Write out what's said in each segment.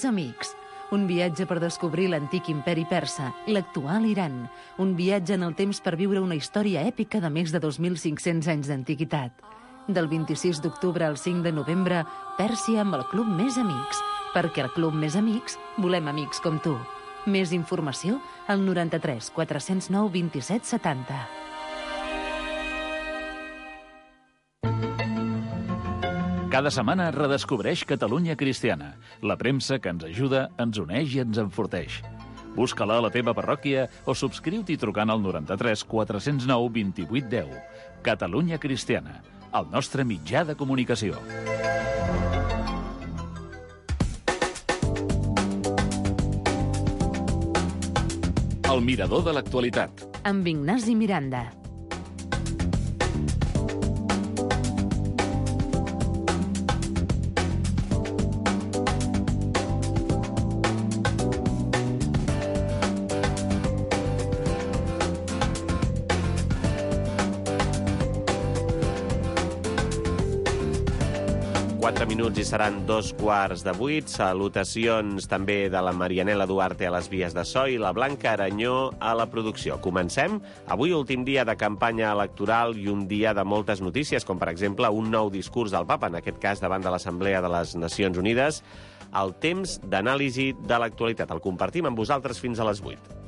més amics. Un viatge per descobrir l'antic imperi persa, l'actual Iran. Un viatge en el temps per viure una història èpica de més de 2.500 anys d'antiguitat. Del 26 d'octubre al 5 de novembre, Pèrsia amb el Club Més Amics. Perquè al Club Més Amics volem amics com tu. Més informació al 93 409 27 70. Cada setmana redescobreix Catalunya Cristiana, la premsa que ens ajuda, ens uneix i ens enforteix. Busca-la a la teva parròquia o subscriu-t'hi trucant al 93 409 28 10. Catalunya Cristiana, el nostre mitjà de comunicació. El mirador de l'actualitat. Amb Ignasi Miranda. Minuts i seran 7:15. Salutacions també de la Marianela Duarte a les vies de so i la Blanca Aranyó a la producció. Comencem. Avui últim dia de campanya electoral i un dia de moltes notícies, com per exemple un nou discurs del papa, en aquest cas davant de l'Assemblea de les Nacions Unides. El temps d'anàlisi de l'actualitat. El compartim amb vosaltres fins a les 8.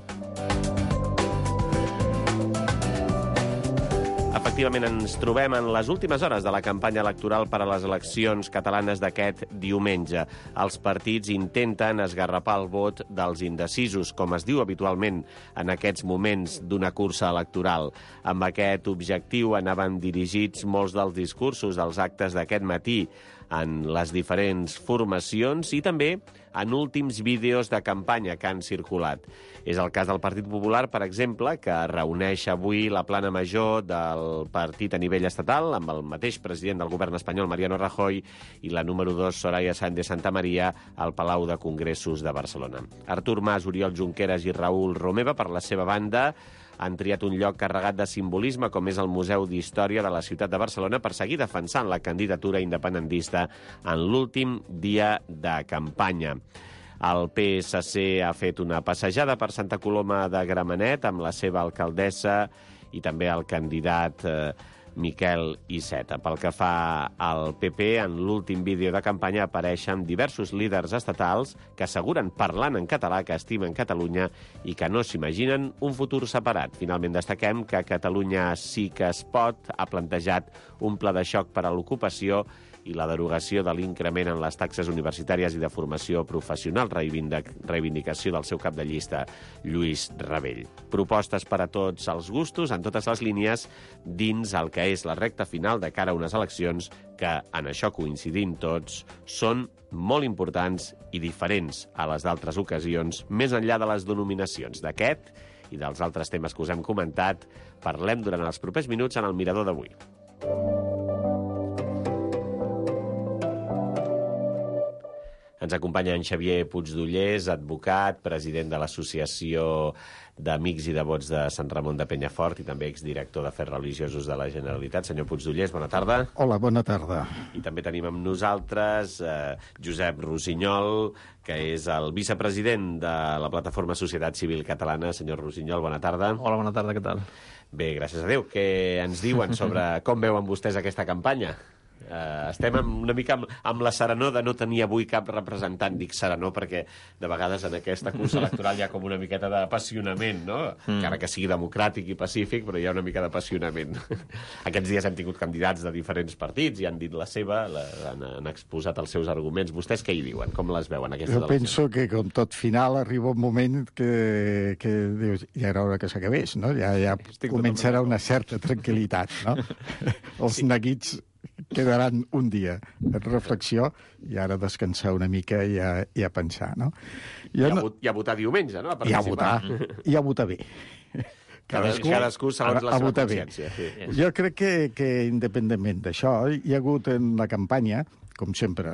Efectivament, ens trobem en les últimes hores de la campanya electoral per a les eleccions catalanes d'aquest diumenge. Els partits intenten esgarrapar el vot dels indecisos, com es diu habitualment en aquests moments d'una cursa electoral. Amb aquest objectiu anaven dirigits molts dels discursos dels actes d'aquest matí en les diferents formacions i també en últims vídeos de campanya que han circulat. És el cas del Partit Popular, per exemple, que reuneix avui la plana major del partit a nivell estatal amb el mateix president del govern espanyol, Mariano Rajoy, i la número 2, Soraya Sáenz de Santamaría, al Palau de Congressos de Barcelona. Artur Mas, Oriol Junqueras i Raül Romeva, per la seva banda, han triat un lloc carregat de simbolisme com és el Museu d'Història de la ciutat de Barcelona per seguir defensant la candidatura independentista en l'últim dia de campanya. El PSC ha fet una passejada per Santa Coloma de Gramenet amb la seva alcaldessa i també el candidat Miquel Iceta. Pel que fa al PP, en l'últim vídeo de campanya apareixen diversos líders estatals que asseguren, parlant en català, que estimen Catalunya i que no s'imaginen un futur separat. Finalment destaquem que Catalunya sí que es pot ha plantejat un pla de xoc per a l'ocupació i la derogació de l'increment en les taxes universitàries i de formació professional, reivindicació del seu cap de llista, Lluís Rabell. Propostes per a tots els gustos, en totes les línies, dins el que és la recta final de cara a unes eleccions que, en això coincidim tots, són molt importants i diferents a les d'altres ocasions, més enllà de les denominacions. D'aquest i dels altres temes que us hem comentat, parlem durant els propers minuts en el Mirador d'avui. Ens acompanya en Xavier Puigdollers, advocat, president de l'Associació d'Amics i Devots de Sant Ramon de Penyafort i també exdirector d'Afers Religiosos de la Generalitat. Senyor Puigdollers, bona tarda. Hola, bona tarda. I també tenim amb nosaltres Josep Rossinyol, que és el vicepresident de la plataforma Societat Civil Catalana. Senyor Rossinyol, bona tarda. Hola, bona tarda, què tal? Bé, gràcies a Déu. Què ens diuen sobre com veuen vostès aquesta campanya? Estem una mica amb la serenor de no tenir avui cap representant. Dic serenor perquè de vegades en aquesta cursa electoral hi ha com una miqueta d'apassionament, no? Encara que sigui democràtic i pacífic, però hi ha una mica d'apassionament. Aquests dies hem tingut candidats de diferents partits i han dit la seva, han exposat els seus arguments. Vostès què hi diuen? Com les veuen, aquestes eleccions? Jo penso que, com tot final, arriba un moment que dius, ja era hora que s'acabés, no? Ja començarà una certa tranquil·litat, no? Els neguits quedaran un dia de reflexió i ara descansar una mica i a pensar, no? I a votar diumenge, no? I a votar bé. Cadascú segons la seva consciència. Sí. Jo crec que independentment d'això, hi ha hagut en la campanya, com sempre,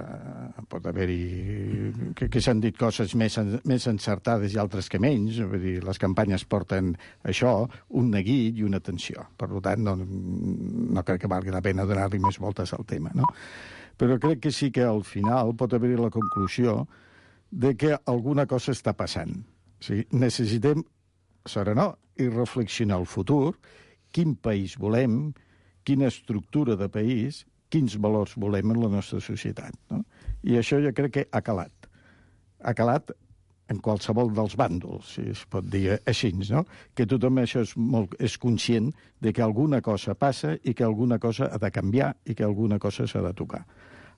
pot haver-hi que s'han dit coses més encertades i altres que menys. Vull dir, les campanyes porten això, un neguit i una tensió. Per tant, no crec que valgui la pena donar-li més voltes al tema, no? Però crec que sí que al final pot haver-hi la conclusió de que alguna cosa està passant. O sigui, necessitem serenar i reflexionar el futur, quin país volem, quina estructura de país, quins valors volem en la nostra societat. No? I això jo crec que ha calat. Ha calat en qualsevol dels bàndols, si es pot dir així, no? Que tothom això és conscient de que alguna cosa passa i que alguna cosa ha de canviar i que alguna cosa s'ha de tocar.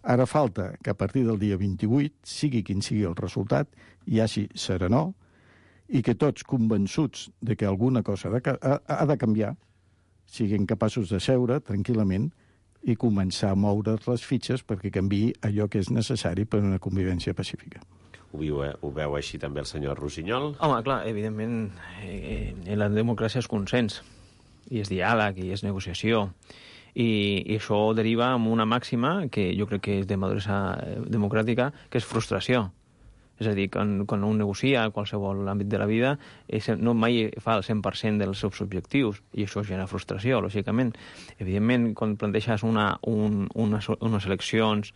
Ara falta que a partir del dia 28, sigui quin sigui el resultat, hi hagi serenor i que tots convençuts de que alguna cosa ha de canviar siguin capaços de seure tranquil·lament i començar a moure les fitxes perquè canviï allò que és necessari per a una convivència pacífica. Ho veu així també el senyor Rossinyol? Home, clar, evidentment, la democràcia és consens, i és diàleg, i és negociació, i això deriva en una màxima que jo crec que és de maduresa democràtica, que és frustració. És a dir, quan un negocia a qualsevol àmbit de la vida, no mai fa el 100% dels seus objectius, i això genera frustració, lògicament. Evidentment, quan planteges unes eleccions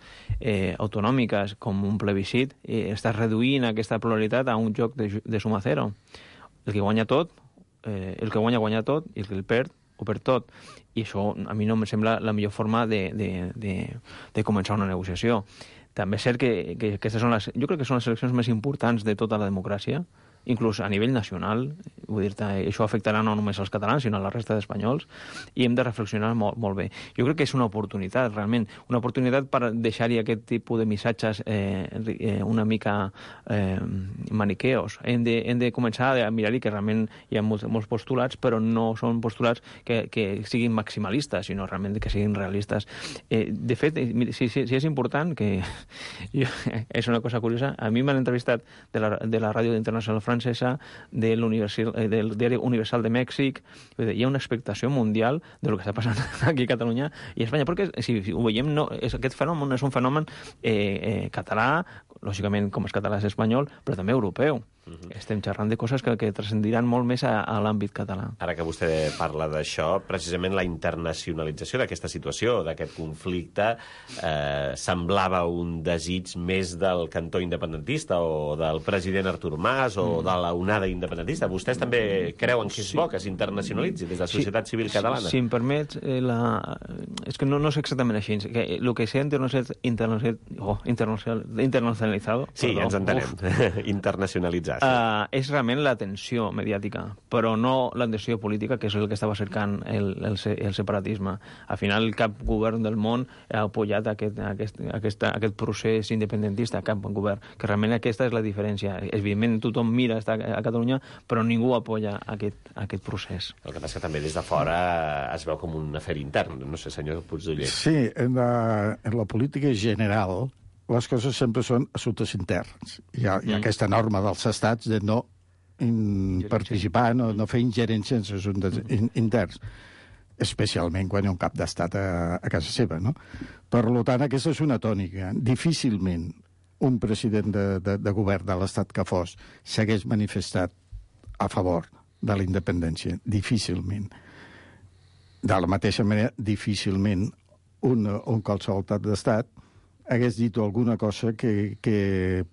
autonòmiques com un plebiscit, estàs reduint aquesta pluralitat a un joc de suma zero. El que guanya tot, guanya tot, i el que el perd, ho perd tot. I això a mi no em sembla la millor forma de començar una negociació. També és cert que aquestes són jo crec que són les eleccions més importants de tota la democràcia, inclús a nivell nacional. Vull dir-te, això afectarà no només als catalans, sinó a la resta d'espanyols, i hem de reflexionar molt bé. Jo crec que és una oportunitat, realment, una oportunitat per deixar-hi aquest tipus de missatges una mica maniqueos. Hem de començar a mirar-hi que realment hi ha molts postulats, però no són postulats que siguin maximalistes, sinó realment que siguin realistes. De fet, si és important, que és una cosa curiosa, a mi m'han entrevistat de la ràdio internacional francesa, del diari Universal de Mèxic. Hi ha una expectació mundial de lo que està passant aquí a Catalunya i a Espanya, perquè si ho veiem, aquest fenomen és un fenomen català, lògicament com és català és espanyol, però també europeu. Estem xerrant de coses que transcendiran molt més a l'àmbit català. Ara que vostè parla d'això, precisament la internacionalització d'aquesta situació, d'aquest conflicte, semblava un desig més del cantó independentista o del president Artur Mas o de la onada independentista. Vostès també creuen que és bo que s'internacionalitzi des de la societat civil catalana? Si em permets, és que no és exactament així. El que s'ha internacionalitzat... Sí, ja ens entenem. Internacionalitzat. És realment la tensió mediàtica, però no la tensió política, que és el que estava cercant el separatisme. Al final, cap govern del món ha apoyat aquest procés independentista, cap govern, que realment aquesta és la diferència. Evidentment, tothom mira a Catalunya, però ningú apoya aquest procés. El que passa que també des de fora es veu com un afer intern, no sé, senyor Puigdoller. Sí, en la política general les coses sempre són assumptes interns. Hi ha aquesta norma dels estats de no participar, no fer ingerència en assumptes interns, especialment quan hi ha un cap d'estat a casa seva, no? Per tant, aquesta és una tònica. Difícilment un president de govern de l'estat que fos s'hagués manifestat a favor de la independència. Difícilment. De la mateixa manera, difícilment un qualsevol cap d'estat hagués dit alguna cosa que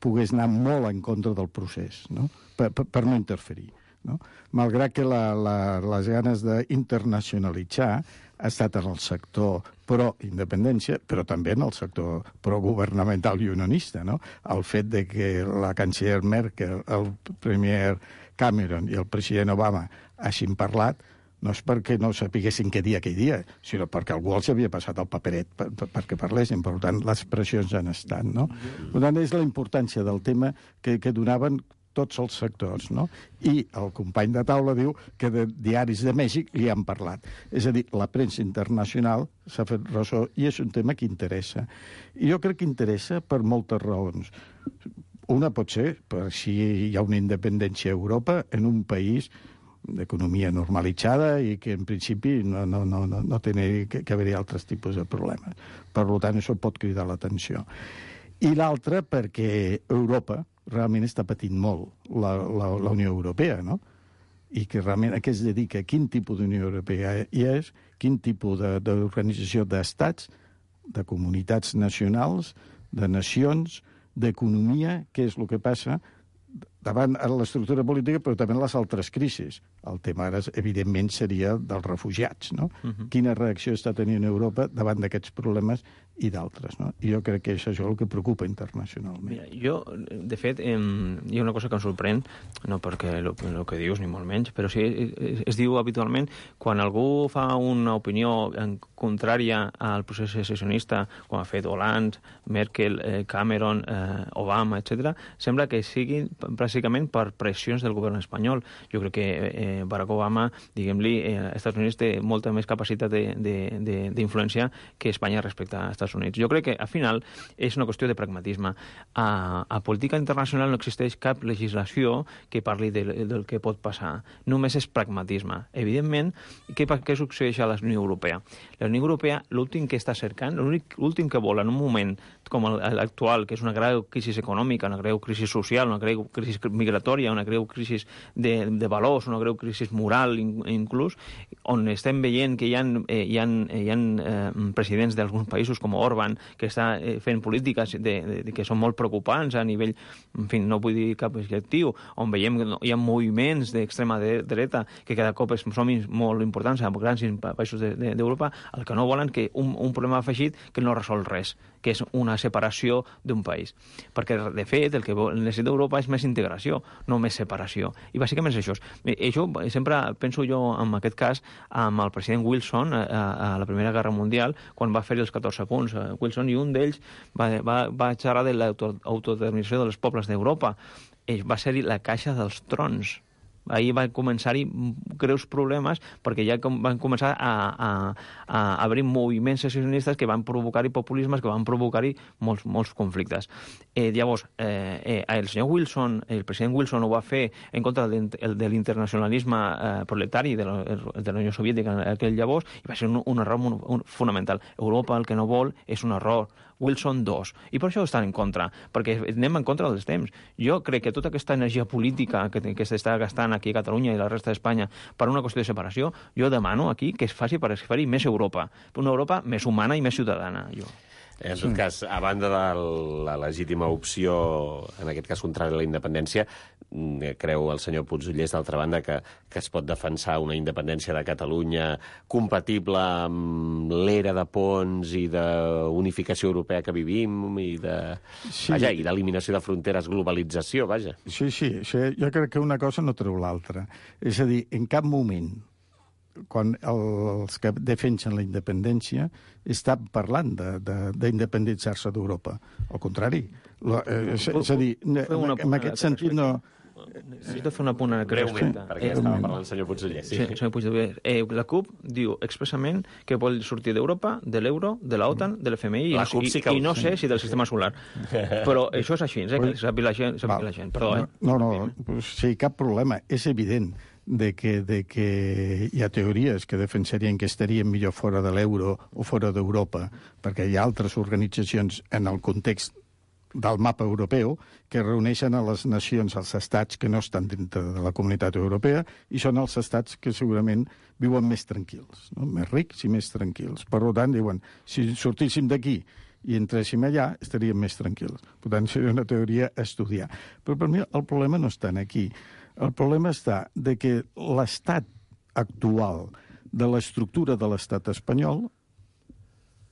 pogués anar molt en contra del procés, no? Per no interferir. No? Malgrat que les ganes d'internacionalitzar ha estat en el sector pro-independència, però també en el sector pro-governamental i unionista. No? El fet de que la canciller Merkel, el premier Cameron i el president Obama hagin parlat no és perquè no sapiguessin què dir aquell dia, sinó perquè algú els havia passat el paperet perquè parlessin. Per tant, les pressions han estat, no? Per tant, és la importància del tema que donaven tots els sectors, no? I el company de taula diu que de diaris de Mèxic li han parlat. És a dir, la premsa internacional s'ha fet ressò i és un tema que interessa. I jo crec que interessa per moltes raons. Una pot ser per si hi ha una independència a Europa en un país d'economia normalitzada i que en principi no té que haver-hi altres tipus de problemes. Per tant, això pot cridar l'atenció. I l'altra perquè Europa realment està patint molt la Unió Europea, no? I que realment a què es dedica, quin tipus d'Unió Europea hi és, quin tipus d'organització d'estats, de comunitats nacionals, de nacions, d'economia, què és el que passa davant l'estructura política, però també les altres crisis. El tema ara, evidentment, seria dels refugiats, no? Quina reacció està tenint Europa davant d'aquests problemes i d'altres, no? I jo crec que és això el que preocupa internacionalment. Mira, jo, de fet, hi ha una cosa que em sorprèn, no perquè el que dius, ni molt menys, però sí, es diu habitualment, quan algú fa una opinió contrària al procés secessionista, com ha fet Hollande, Merkel, Cameron, Obama, etc., sembla que siguin bàsicament per pressions del govern espanyol. Jo crec que Barack Obama, diguem-li, als Estats Units té molta més capacitat d'influència que Espanya respecte als Estats Units. Jo crec que, al final, és una qüestió de pragmatisme. A política internacional no existeix cap legislació que parli del que pot passar. Només és pragmatisme. Evidentment, què succeeix a la Unió Europea? La Unió Europea, l'últim que està cercant, l'últim que vol en un moment com l'actual, que és una greu crisi econòmica, una greu crisi social, una greu crisi migratòria, una greu crisi de valors, una greu crisi moral inclús, on estem veient que hi ha presidents d'alguns països com Orban que està fent polítiques que són molt preocupants a nivell, en fi, no vull dir cap objectiu, on veiem que hi ha moviments d'extrema dreta que cada cop són molt importants a grans països d'Europa, el que no volen que un problema afegit que no resol res, que és una separació d'un país. Perquè, de fet, el que necessita Europa és més integració, no més separació. I bàsicament és això. Això sempre penso jo, en aquest cas, amb el president Wilson a la Primera Guerra Mundial, quan va fer els 14 punts. Wilson, i un d'ells va xerrar de l'autodeterminació dels pobles d'Europa. Va ser-hi la caixa dels trons. Ahir van començar-hi greus problemes perquè ja van començar a haver moviments secessionistes que van provocar-hi populismes, que van provocar-hi molts conflictes. Llavors, el senyor Wilson, el president Wilson ho va fer en contra de l'internacionalisme proletari de la Unió Soviètica en aquell llavors, i va ser un error fonamental. Europa el que no vol és un error. Wilson 2. I per això estan en contra, perquè anem en contra dels temps. Jo crec que tota aquesta energia política que s'està gastant aquí a Catalunya i la resta d'Espanya per una qüestió de separació, jo demano aquí que es faci per fer-hi més Europa, una Europa més humana i més ciutadana. En tot cas, a banda de la legítima opció, en aquest cas contrària a la independència, creu el senyor Puigdellers, d'altra banda, que es pot defensar una independència de Catalunya compatible amb l'era de ponts i d'unificació europea que vivim i d'eliminació de fronteres, globalització, vaja. Sí, jo crec que una cosa no treu l'altra. És a dir, en cap moment, quan els que defensen la independència estan parlant d'independitzar-se d'Europa. Al contrari. És a dir, en aquest sentit no... Necessito fer un apunt breument, perquè estava parlant el senyor Puigdellers. Sí, senyor Puigdellers. La CUP diu expressament que vol sortir d'Europa, de l'euro, de l'OTAN, de l'FMI i no sé si del sistema solar. Però això és així, que sàpiga la gent. Perdó, No, sí, cap problema. És evident que hi ha teories que defensarien que estaríem millor fora de l'euro o fora d'Europa, perquè hi ha altres organitzacions en el context del mapa europeu que reuneixen a les nacions, als estats que no estan dintre de la comunitat europea, i són els estats que segurament viuen més tranquils, no? Més rics i més tranquils. Per tant, diuen, si sortíssim d'aquí i entréssim allà, estaríem més tranquils. Per tant, seria una teoria a estudiar. Però per mi el problema no està aquí. El problema està de que l'estat actual de l'estructura de l'estat espanyol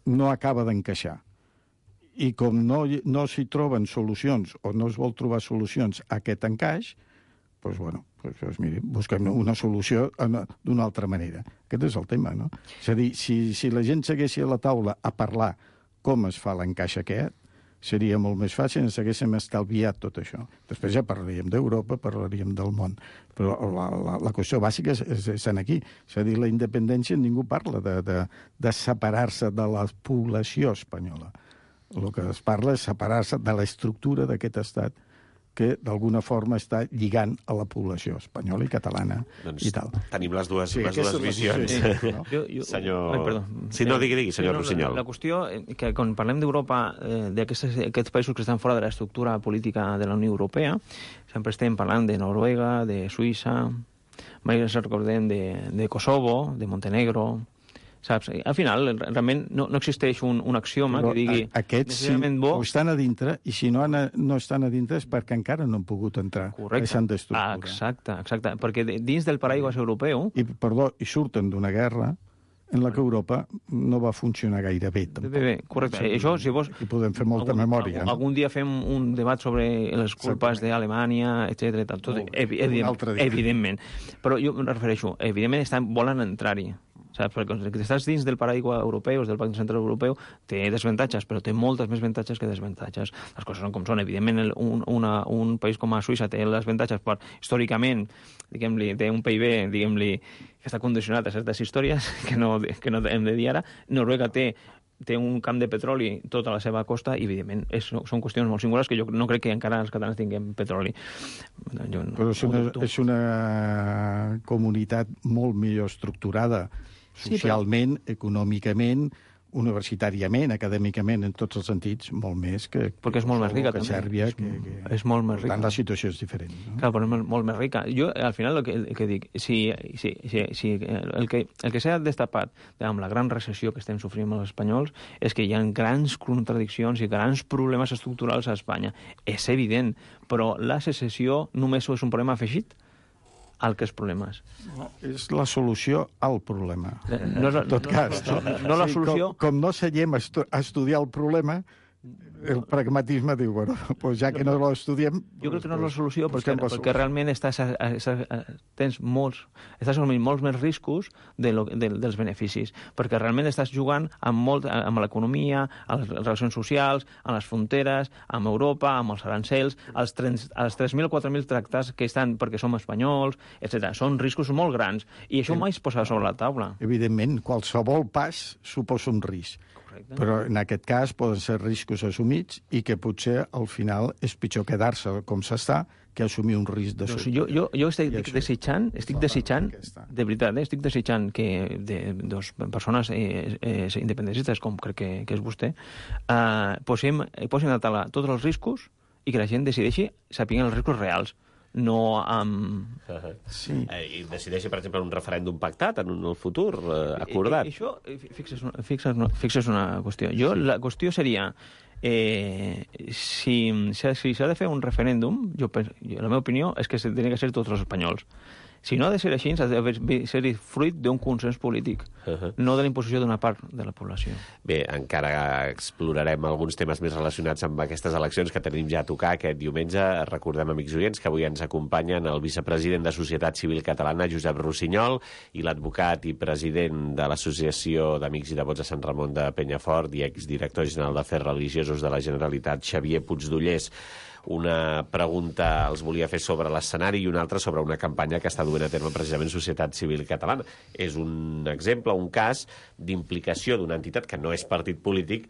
no acaba d'encaixar. I com no s'hi troben solucions o no es vol trobar solucions a aquest encaix, doncs, miri, busquem una solució d'una altra manera. Aquest és el tema, no? És a dir, si la gent s'haguessi a la taula a parlar com es fa l'encaix aquest, seria molt més fàcil, ens haguéssim estalviat tot això. Després ja parlaríem d'Europa, parlaríem del món. Però la qüestió bàsica és aquí. És a dir, la independència, ningú parla de separar-se de la població espanyola. El que es parla és separar-se de l'estructura d'aquest estat que d'alguna forma està lligant a la població espanyola i catalana i tal. Tenim les dues visions. Senyor... Sí, no, digui, senyor Rossinyol. La qüestió que quan parlem d'Europa, d'aquests països que estan fora de l'estructura política de la Unió Europea, sempre estem parlant de Noruega, de Suïssa, mai ens recordem de Kosovo, de Montenegro, Saps? Al final, realment, no existeix un axioma que digui aquests necessàriament bo... estan a dintre, i si no estan a dintre és perquè encara no han pogut entrar. Correcte. S'han d'estructurar. Exacte. Perquè dins del paraigües europeu... I surten d'una guerra en la que Europa no va funcionar gaire bé. Bé, correcte. Això, si vols... I podem fer molta memòria. Algun dia fem un debat sobre les culpes d'Alemanya, etc. Evidentment. Però jo em refereixo, evidentment volen entrar-hi. Saps? Perquè si estàs dins del paraigua europeu, del Banc Central Europeu, té desavantatges, però té moltes més avantatges que desavantatges. Les coses són com són. Evidentment, un país com a Suïssa té les avantatges per, històricament, diguem-li, té un PIB, diguem-li, que està condicionat a certes històries que no hem de dir ara. Noruega té un camp de petroli tota la seva costa i, evidentment, són qüestions molt singulars que jo no crec que encara els catalans tinguem petroli. Però és una comunitat molt millor estructurada socialment, econòmicament, universitàriament, acadèmicament, en tots els sentits, molt més que... Perquè és molt més rica, també. Sèrbia, és molt més rica. Per tant, la situació és diferent. No? Clar, però és molt més rica. Jo, al final, el que dic, si el que s'ha destapat amb la gran recessió que estem sofrint els espanyols és que hi ha grans contradiccions i grans problemes estructurals a Espanya. És evident, però la secessió només és un problema afegit al que és problemes. No, és la solució al problema. No, en tot cas. No la solució... Com no seguim a estudiar el problema, el pragmatisme diu, bueno, pues ja que no l'estudiem... Jo crec que no és la solució perquè realment estàs assumint molts més riscos dels beneficis, perquè realment estàs jugant amb l'economia, amb les relacions socials, amb les fronteres, amb Europa, amb els arancels, als 3.000 o 4.000 tractats que estan perquè som espanyols, etc. Són riscos molt grans, i això mai es posa sobre la taula. Evidentment, qualsevol pas suposa un risc. Correcte. Però en aquest cas poden ser riscos assumits i que potser al final és pitjor quedar-se com s'està que assumir un risc de sobte. Jo estic desitjant, de veritat, estic desitjant que dos persones independentistes, com crec que és vostè, posin a taula tots els riscos i que la gent decideixi sapiguent els riscos reals. No amb... Sí. I decideixi, per exemple, un referèndum pactat en el futur, acordat. Això, fixes una qüestió. La qüestió seria, si s'ha de fer un referèndum, la meva opinió és que tenen que ser tots els espanyols. Si no ha de ser així, ha de ser fruit d'un consens polític, no de la imposició d'una part de la població. Bé, encara explorarem alguns temes més relacionats amb aquestes eleccions que tenim ja a tocar aquest diumenge. Recordem, amics oients, que avui ens acompanyen el vicepresident de Societat Civil Catalana, Josep Rossinyol, i l'advocat i president de l'Associació d'Amics i Devots de Sant Ramon de Penyafort i exdirector general d'Afers Religiosos de la Generalitat, Xavier Puigdollers. Una pregunta els volia fer sobre l'escenari i una altra sobre una campanya que està duent a terme precisament Societat Civil Catalana. És un exemple, un cas d'implicació d'una entitat que no és partit polític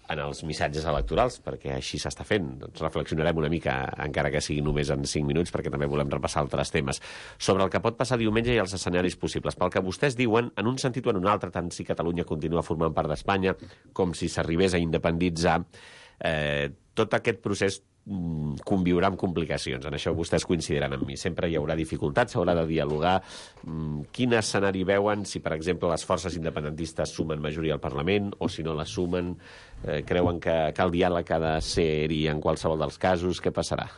en els missatges electorals, perquè així s'està fent. Doncs reflexionarem una mica, encara que sigui només en 5 minuts, perquè també volem repassar altres temes. Sobre el que pot passar diumenge i els escenaris possibles. Pel que vostès diuen, en un sentit o en un altre, tant si Catalunya continua formant part d'Espanya com si s'arribés a independitzar, tot aquest procés conviurà amb complicacions. En això vostès coincidiran amb mi. Sempre hi haurà dificultats, s'haurà de dialogar. Quin escenari veuen si, per exemple, les forces independentistes sumen majoria al Parlament o si no la sumen? Creuen que el diàleg ha de ser-hi en qualsevol dels casos? Què passarà?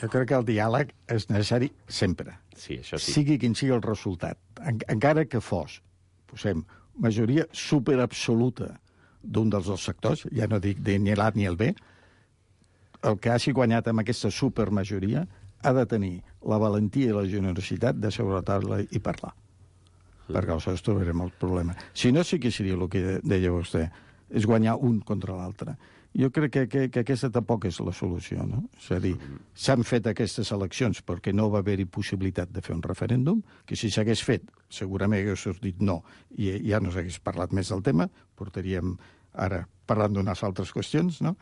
Jo crec que el diàleg és necessari sempre. Sí, això sí. Sigui quin sigui el resultat. Encara que fos, posem, majoria superabsoluta d'un dels dos sectors, ja no dic ni l'A ni el B, el que hagi guanyat amb aquesta supermajoria ha de tenir la valentia i la generositat de seure a taula i parlar. Perquè aleshores trobarem el problema. Si no, sí que seria el que deia vostè, és guanyar un contra l'altre. Jo crec que aquesta tampoc és la solució, no? És a dir, s'han fet aquestes eleccions perquè no va haver-hi possibilitat de fer un referèndum, que si s'hagués fet, segurament hagués sortit no, i ja no s'hagués parlat més del tema, portaríem ara parlant d'unes altres qüestions, no?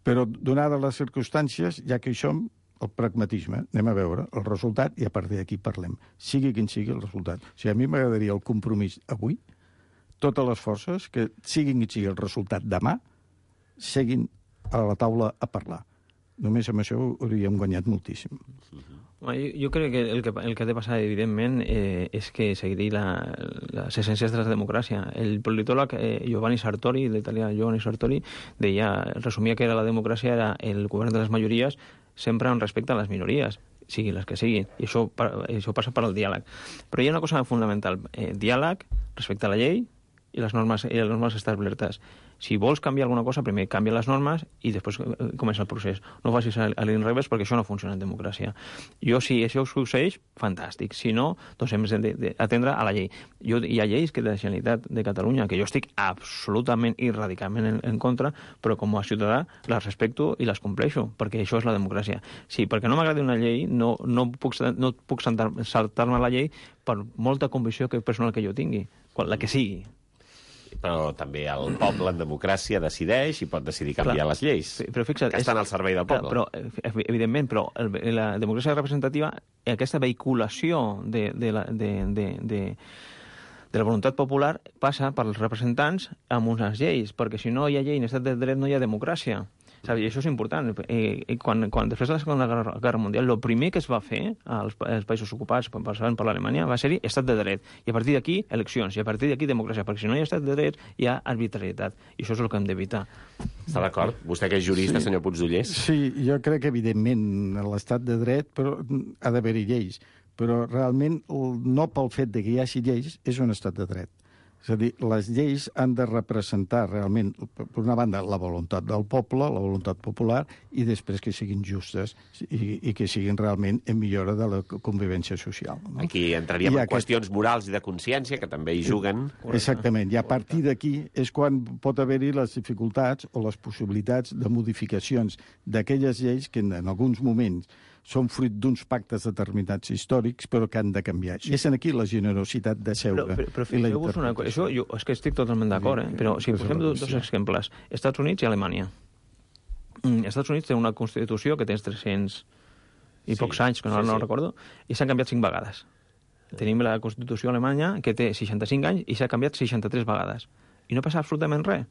Però, donades les circumstàncies, ja que hi som, el pragmatisme, anem a veure el resultat i a partir d'aquí parlem. Sigui quin sigui el resultat. O sigui, a mi m'agradaria el compromís avui, totes les forces, que siguin quin sigui el resultat demà, seguin a la taula a parlar. Només amb això hauríem guanyat moltíssim. Jo crec que el que ha de passar, evidentment, és que seguir les essències de la democràcia. El politòleg Giovanni Sartori, l'italià Giovanni Sartori, resumia que la democràcia era el govern de les majories sempre en respecte a les minories, siguin les que siguin. I això passa per al diàleg. Però hi ha una cosa fundamental. Diàleg, respecte a la llei i les normes establertes. Si vols canviar alguna cosa, primer canvia les normes i després comença el procés. No facis a l'inrevés perquè això no funciona en democràcia. Si això succeeix, fantàstic. Si no, doncs hem d'atendre a la llei. Hi ha lleis que de la Generalitat de Catalunya que jo estic absolutament i radicalment en contra, però com a ciutadà les respecto i les compleixo, perquè això és la democràcia. Sí, perquè no m'agradi una llei, no puc saltar-me la llei per molta convicció personal que jo tingui, la que sigui. Però també el poble en democràcia decideix i pot decidir canviar les lleis, però fixa't, que estan al servei del poble. Però, evidentment, la democràcia representativa, aquesta vehiculació de la voluntat popular passa pels representants amb unes lleis, perquè si no hi ha llei en estat de dret no hi ha democràcia. I això és important. Quan després de la Segona Guerra Mundial, el primer que es va fer als països ocupats per l'Alemanya va ser-hi estat de dret. I a partir d'aquí, eleccions. I a partir d'aquí, democràcia. Perquè si no hi ha estat de dret, hi ha arbitrarietat. I això és el que hem d'evitar. Està d'acord? Vostè que és jurista, senyor Puigdollers? Sí, jo crec que, evidentment, l'estat de dret ha d'haver-hi lleis. Però realment, no pel fet que hi hagi lleis, és un estat de dret. És a dir, les lleis han de representar realment, per una banda, la voluntat del poble, la voluntat popular, i després que siguin justes i que siguin realment en millora de la convivència social. No? Aquí entraríem en qüestions morals i de consciència, que també hi juguen. Exactament, i a partir d'aquí és quan pot haver-hi les dificultats o les possibilitats de modificacions d'aquelles lleis que en alguns moments són fruit d'uns pactes determinats històrics, però que han de canviar. I és aquí la generositat de seure. Però fixeu-vos una cosa, això és que estic totalment d'acord, però si posem dos exemples, Estats Units i Alemanya. Estats Units té una Constitució que té 300 i pocs anys, que no recordo, i s'han canviat 5 vegades. Tenim la Constitució alemanya, que té 65 anys, i s'ha canviat 63 vegades. I no passa absolutament res.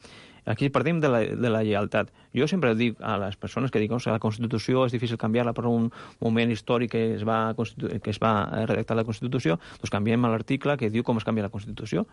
Aquí partim de la lleialtat. Jo sempre dic a les persones que diuen que la Constitució és difícil canviar-la per un moment històric que es va redactar la Constitució, doncs canviem l'article que diu com es canvia la Constitució.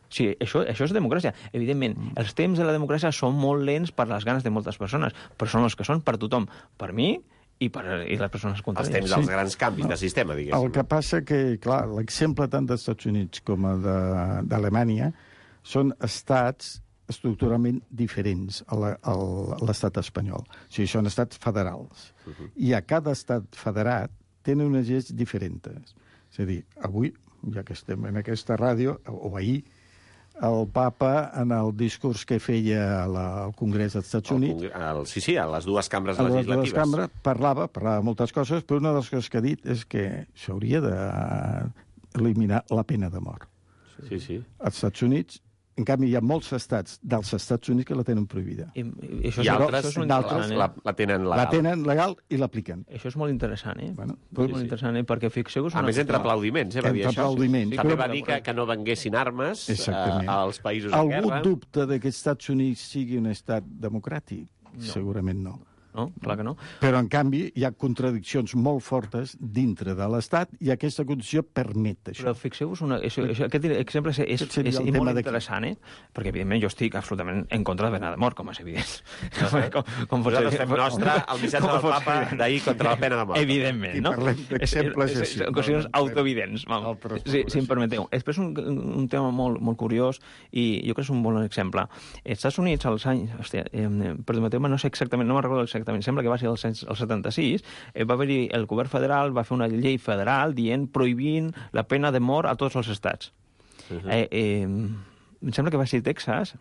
Sí, això és democràcia. Evidentment, els temps de la democràcia són molt lents per les ganes de moltes persones, però són els que són per tothom. Per mi i les persones contràries. Els temps dels grans canvis de sistema, diguéssim. El que passa que, clar, l'exemple tant dels Estats Units com d'Alemanya són estats estructuralment diferents a l'estat espanyol. O sigui, són estats federals. I a cada estat federat tenen unes lleis diferents. És a dir, avui, ja que estem en aquesta ràdio, o ahir, el papa, en el discurs que feia al Congrés dels Estats Units... Sí, a les dues cambres legislatives. A les dues cambres parlava moltes coses, però una de les coses que ha dit és que s'hauria d'eliminar la pena de mort. Sí. Als Estats Units, en canvi, hi ha molts estats dels Estats Units que la tenen prohibida. I altres la tenen legal. La tenen legal i l'apliquen. Això és molt interessant, Molt interessant, perquè fixeu-vos... A més, entre aplaudiments, va dir això. Aplaudiments. També va dir que no venguessin armes als països en guerra. Algú dubta que els Estats Units sigui un estat democràtic? Segurament no. No, clar que no. Però, en canvi, hi ha contradiccions molt fortes dintre de l'Estat i aquesta condició permet això. Però fixeu-vos, aquest exemple és molt interessant, perquè, evidentment, jo estic absolutament en contra de la pena de mort, com és evident. Nosaltres fem nostre el missatge del papa d'ahir contra la pena de mort. Evidentment, no? I parlem d'exemples així. Són qüestions autoevidents. Si em permeteu. Després un tema molt curiós i jo crec que és un bon exemple. Els Estats Units, als anys... Permeteu-me, no sé exactament, no me'n recordo exactament, sembla que va ser el 76, va haver-hi el govern federal, va fer una llei federal prohibint la pena de mort a tots els estats. Em sembla que va ser Texas,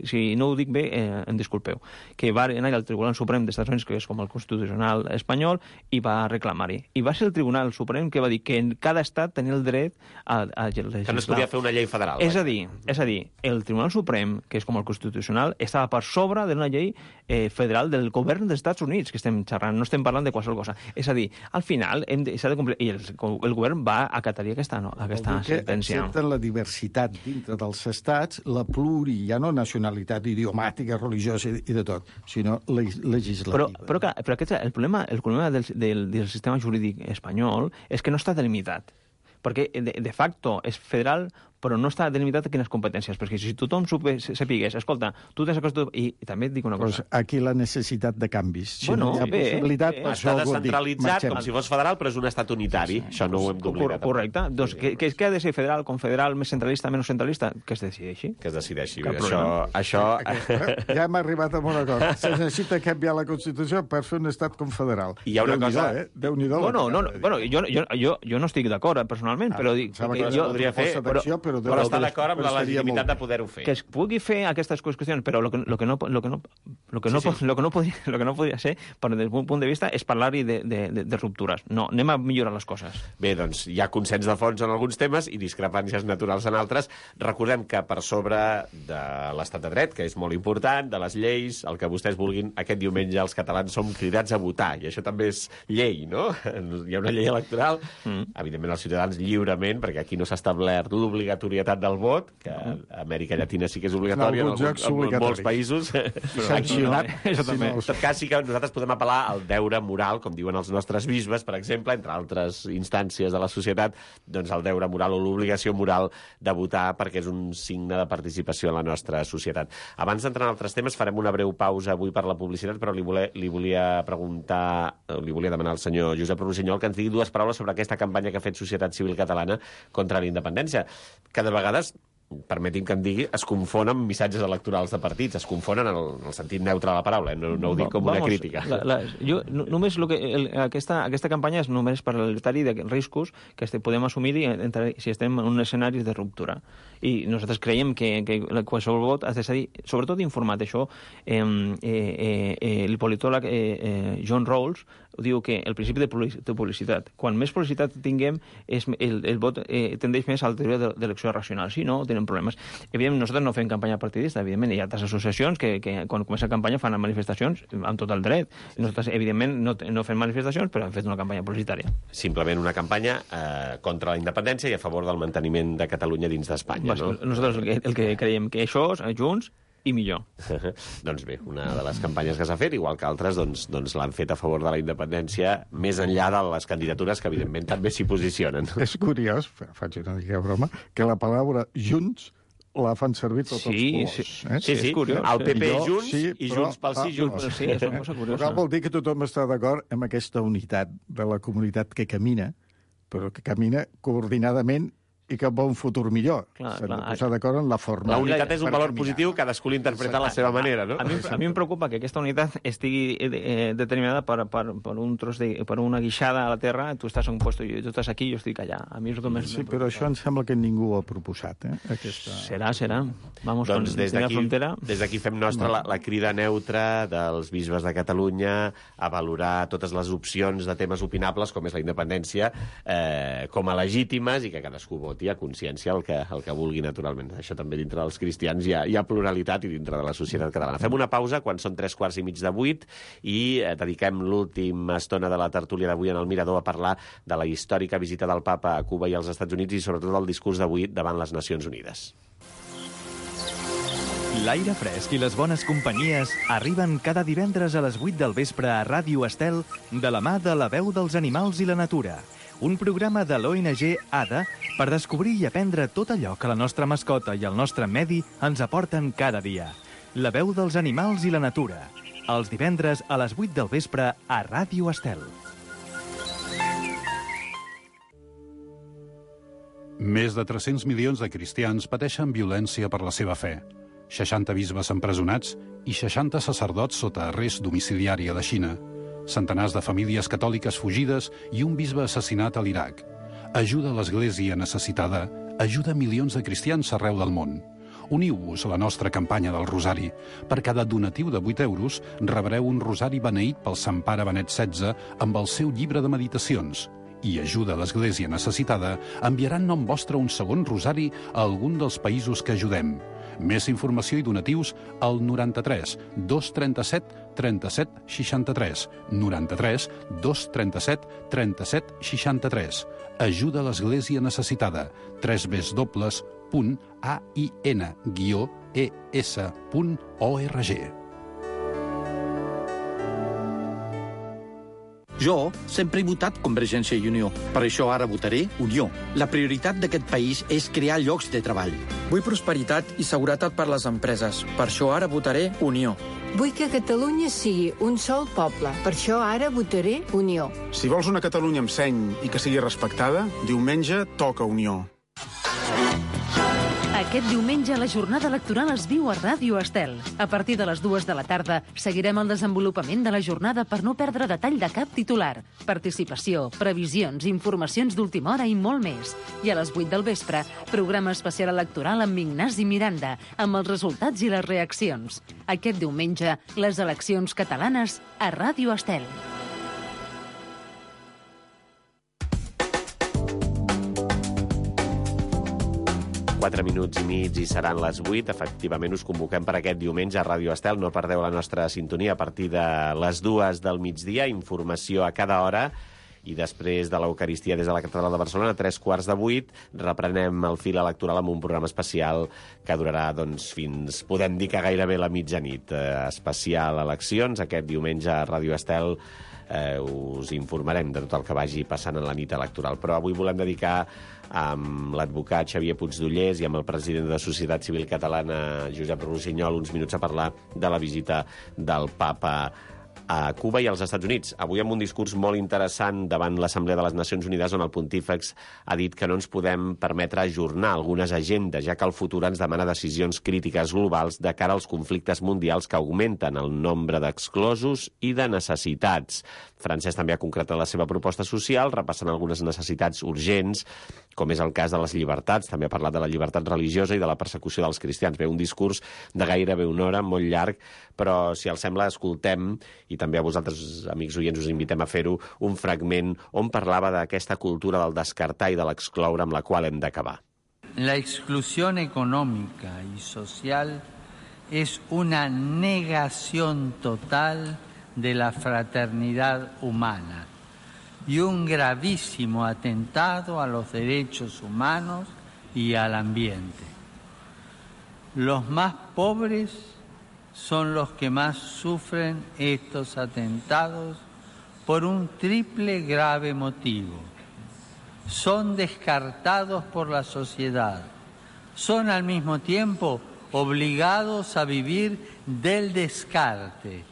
si no ho dic bé, em disculpeu, que va anar al Tribunal Suprem dels Estats Units, que és com el Constitucional espanyol, i va reclamar-hi. I va ser el Tribunal Suprem que va dir que en cada estat tenia el dret a legislar. Que no es podia fer una llei federal. És a dir, el Tribunal Suprem, que és com el Constitucional, estava per sobre d'una llei federal del govern dels Estats Units, que estem xerrant, no estem parlant de qualsevol cosa. És a dir, al final s'ha de complir, i el govern va acatar aquesta sentència. Accepten la diversitat dintre dels estats la ja no nacionalitat idiomàtica, religiosa i de tot, sinó legislativa. Però aquest, el problema del sistema jurídic espanyol és que no està delimitat, perquè de facto és federal, però no està delimitat a quines competències, perquè si tothom sapigués, escolta, tu tens aquesta... I també et dic una cosa... Pues aquí la necessitat de canvis. Si bueno, no hi ha possibilitat... Està descentralitzat com si fos federal, però és un estat unitari. Això no ho hem d'oblidar. Correcte. Doncs què ha de ser federal, confederal, més centralista, menys centralista? Que es decideixi. Que es decideixi. Això... Ja hem arribat a una cosa. Se necessita canviar la Constitució per fer un estat confederal. I hi ha una cosa... Déu-n'hi-do. Bueno, jo no estic d'acord, personalment, però dic... Podria fer... Però està d'acord amb la legitimitat de poder-ho fer. Que es pugui fer aquestes qüestions, però el que no podria ser, des del punt de vista, és parlar-hi de ruptures. No, anem a millorar les coses. Bé, doncs hi ha consens de fons en alguns temes i discrepàncies naturals en altres. Recordem que per sobre de l'estat de dret, que és molt important, de les lleis, el que vostès vulguin, aquest diumenge els catalans som cridats a votar, i això també és llei, no? Hi ha una llei electoral, evidentment els ciutadans lliurement, perquè aquí no s'ha establert l'obligatorietat del vot, que a Amèrica Llatina sí que és obligatori, en molts països. En tot cas, sí que nosaltres podem apel·lar al deure moral, com diuen els nostres bisbes, per exemple, entre altres instàncies de la societat, doncs el deure moral o l'obligació moral de votar, perquè és un signe de participació en la nostra societat. Abans d'entrar en altres temes, farem una breu pausa avui per la publicitat, però li volia demanar al senyor Josep Rossinyol que ens digui dues paraules sobre aquesta campanya que ha fet Societat Civil Catalana contra la independència, que de vegades, permeti'm que em digui, es confonen amb missatges electorals de partits, es confonen en el sentit neutre de la paraula, no ho dic com una crítica. Aquesta campanya és només per alertar-hi de riscos que podem assumir si estem en un escenari de ruptura. I nosaltres creiem que qualsevol vot ha de ser, sobretot informat. Això, el politòleg John Rawls diu que el principi de publicitat, quan més publicitat tinguem, el vot tendeix més a la teoria d'elecció racional. Si no, tenen problemes. Evidentment, nosaltres no fem campanya partidista, evidentment, hi ha altres associacions que quan comença la campanya fan manifestacions amb tot el dret. Nosaltres, evidentment, no fem manifestacions, però hem fet una campanya publicitària. Simplement una campanya contra la independència i a favor del manteniment de Catalunya dins d'Espanya, no? Nosaltres el que creiem que això, junts, i millor. Doncs bé, una de les campanyes que s'ha fet, igual que altres, doncs l'han fet a favor de la independència, més enllà de les candidatures que, evidentment, també s'hi posicionen. És curiós, faig una mica de broma, que la paraula junts la fan servir tots els colors. Sí, és curiós. El PP Junts i Junts pel Sí Junts. Sí, és una cosa curiosa. Vol dir que tothom està d'acord amb aquesta unitat de la comunitat que camina, però que camina coordinadament i cap a un futur millor. S'han de posar d'acord en la forma. La unitat és un valor positiu, cadascú l'interpreta a la seva manera, no? A mi em preocupa que aquesta unitat estigui determinada per un tros per una guixada a la terra, tu estàs en un lloc i tu estàs aquí i jo estic allà. A mi és el que més... Sí, però això em sembla que ningú ho ha proposat, Serà. Vamos, doncs des d'aquí fem nostra la crida neutra dels bisbes de Catalunya a valorar totes les opcions de temes opinables, com és la independència, com a legítimes i que cadascú voti a consciència el que vulgui, naturalment. Això també dintre dels cristians hi ha pluralitat i dintre de la societat catalana. Fem una pausa quan són 7:45 i dediquem l'última estona de la tertúlia d'avui en el Mirador a parlar de la històrica visita del papa a Cuba i als Estats Units i sobretot del discurs d'avui davant les Nacions Unides. L'aire fresc i les bones companyies arriben cada divendres a les 8 del vespre a Ràdio Estel de la mà de La Veu dels Animals i la Natura, un programa de l'ONG ADA per descobrir i aprendre tot allò que la nostra mascota i el nostre medi ens aporten cada dia. La Veu dels Animals i la Natura, els divendres a les 8 del vespre a Ràdio Estel. Més de 300 milions de cristians pateixen violència per la seva fe. 60 bisbes empresonats i 60 sacerdots sota arrest domiciliari a la Xina. Centenars de famílies catòliques fugides i un bisbe assassinat a l'Iraq. Ajuda a l'Església necessitada, ajuda milions de cristians arreu del món. Uniu-vos a la nostra campanya del Rosari. Per cada donatiu de 8 euros rebreu un rosari beneït pel Sant Pare Benet XVI amb el seu llibre de meditacions. I ajuda a l'Església necessitada enviaran nom vostre un segon rosari a algun dels països que ajudem. Més informació i donatius al 93 237 37 63. 93 237 37 63. Ajuda a l'Església necessitada. www.univ.org. www.ain-es.org. Jo sempre he votat Convergència i Unió. Per això ara votaré Unió. La prioritat d'aquest país és crear llocs de treball. Vull prosperitat i seguretat per les empreses. Per això ara votaré Unió. Vull que Catalunya sigui un sol poble. Per això ara votaré Unió. Si vols una Catalunya amb seny i que sigui respectada, diumenge toca Unió. Aquest diumenge la jornada electoral es viu a Ràdio Estel. A partir de les 2 de la tarda seguirem el desenvolupament de la jornada per no perdre detall de cap titular. Participació, previsions, informacions d'última hora i molt més. I a les 8 del vespre, programa especial electoral amb Ignasi Miranda, amb els resultats i les reaccions. Aquest diumenge, les eleccions catalanes a Ràdio Estel. 4 minuts i mig i seran les 8. Efectivament, us convoquem per aquest diumenge a Ràdio Estel. No perdeu la nostra sintonia a partir de les 2 del migdia. Informació a cada hora. I després de l'Eucaristia des de la Catedral de Barcelona, a 7:45, reprenem el fil electoral amb un programa especial que durarà fins, podem dir que gairebé la mitjanit. Especial eleccions, aquest diumenge a Ràdio Estel. Us informarem de tot el que vagi passant en la nit electoral. Però avui volem dedicar amb l'advocat Xavier Puigdollers i amb el president de la Societat Civil Catalana, Josep Rossinyol, uns minuts a parlar de la visita del papa a Cuba i als Estats Units. Avui amb un discurs molt interessant davant l'Assemblea de les Nacions Unides, on el pontífex ha dit que no ens podem permetre ajornar algunes agendes, ja que el futur ens demana decisions crítiques globals de cara als conflictes mundials que augmenten el nombre d'exclosos i de necessitats. Francesc també ha concretat la seva proposta social, repassant algunes necessitats urgents, com és el cas de les llibertats. També ha parlat de la llibertat religiosa i de la persecució dels cristians. Bé, un discurs de gairebé una hora, molt llarg, però, si els sembla, escoltem, i també a vosaltres, amics oients, us invitem a fer-ho, un fragment on parlava d'aquesta cultura del descartar i de l'excloure amb la qual hem d'acabar. La exclusión económica y social es una negación total de la fraternidad humana y un gravísimo atentado a los derechos humanos y al ambiente. Los más pobres son los que más sufren estos atentados por un triple grave motivo. Son descartados por la sociedad, son al mismo tiempo obligados a vivir del descarte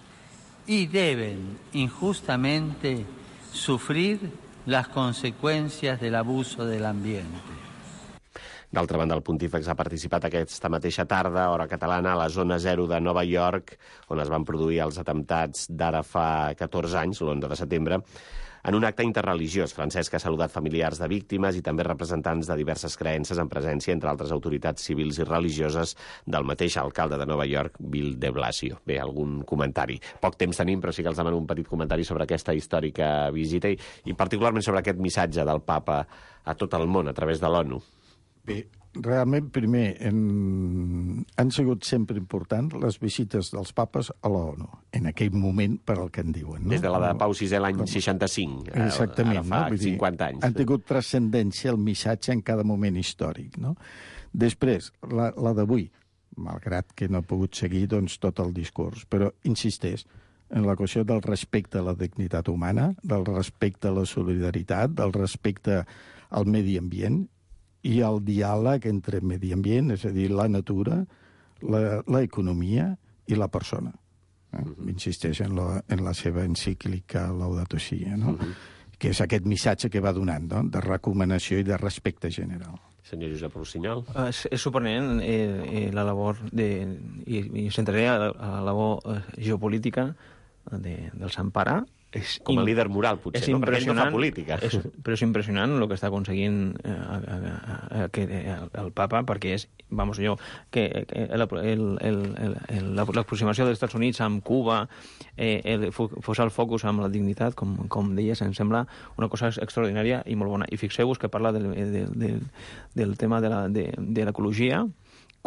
y deben injustamente sufrir las consecuencias del abuso del ambiente. D'altra banda, el pontífex ha participat aquesta mateixa tarda, hora catalana, a la zona 0 de Nova York, on es van produir els atemptats d'ara fa 14 anys, l'11 de setembre, en un acte interreligiós. Francesc ha saludat familiars de víctimes i també representants de diverses creences en presència, entre altres autoritats civils i religioses, del mateix alcalde de Nova York, Bill de Blasio. Bé, algun comentari. Poc temps tenim, però sí que els demano un petit comentari sobre aquesta històrica visita i particularment sobre aquest missatge del papa a tot el món a través de l'ONU. Bé, realment, primer, han sigut sempre importants les visites dels papes a l'ONU, en aquell moment, per al que en diuen. No? Des de la de Pau VI l'any 65, exactament, ara fa 50 anys. Han tingut transcendència el missatge en cada moment històric. No? Després, la d'avui, malgrat que no he pogut seguir tot el discurs, però insisteix en la qüestió del respecte a la dignitat humana, del respecte a la solidaritat, del respecte al medi ambient, i el diàleg entre medi ambient, és a dir, la natura, l'economia i la persona. Insisteix en la seva encíclica Laudato Si, no? Que és aquest missatge que va donant, no? De recomanació i de respecte general. Senyor Josep Rossinyol. És sorprenent la labor i centraré a la labor geopolítica del Sant Pare. Com a líder moral, potser, no? Perquè ell no fa política. Però és impressionant el que està aconseguint el papa, perquè és, l'aproximació dels Estats Units amb Cuba, posar el focus amb la dignitat, com deies, em sembla una cosa extraordinària i molt bona. I fixeu-vos que parla del tema de l'ecologia,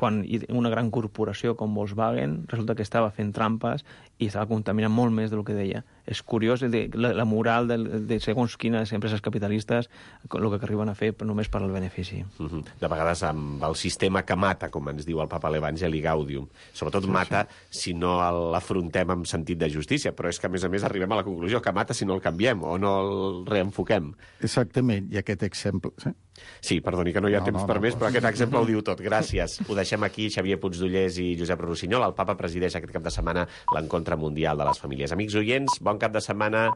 quan una gran corporació com Volkswagen resulta que estava fent trampes i estava contaminant molt més del que deia. És curiós la moral de segons quines empreses capitalistes el que arriben a fer només per al benefici. De vegades amb el sistema que mata, com ens diu el papa a l'Evangeli Gaudium. Sobretot mata si no l'afrontem amb sentit de justícia, però és que, a més, arribem a la conclusió que mata si no el canviem o no el reenfoquem. Exactament, i aquest exemple... Sí, perdoni que no hi ha temps per més, però aquest exemple ho diu tot. Gràcies. Ho deixem aquí. Xavier Puigdollers i Josep Rossinyol. El papa presideix aquest cap de setmana l'Encontre Mundial de les Famílies. Amics oients, bon cap de setmana.